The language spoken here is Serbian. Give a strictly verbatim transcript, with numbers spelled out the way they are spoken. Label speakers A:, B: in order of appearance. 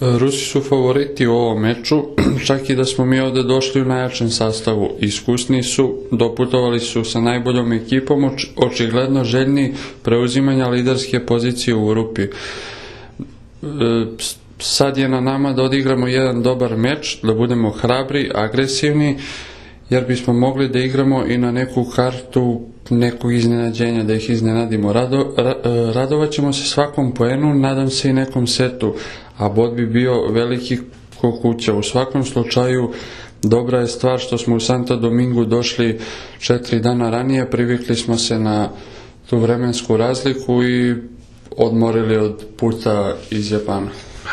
A: Rusi su favoriti u ovom meču, čak i da smo mi ovdje došli u najjačem sastavu. Iskusni su, doputovali su sa najboljom ekipom, očigledno željni preuzimanja liderske pozicije u grupi. Sad je na nama da odigramo jedan dobar meč, da budemo hrabri, agresivni, jer bismo mogli da igramo i na neku kartu nekog iznenađenja, da ih iznenadimo. Rado, ra, radovat ćemo se svakom poenu, nadam se i nekom setu, a bod bi bio veliki ko kuća. U svakom slučaju dobra je stvar što smo u Santo Domingu došli četiri dana ranije, privikli smo se na tu vremensku razliku i odmorili od puta iz Japana.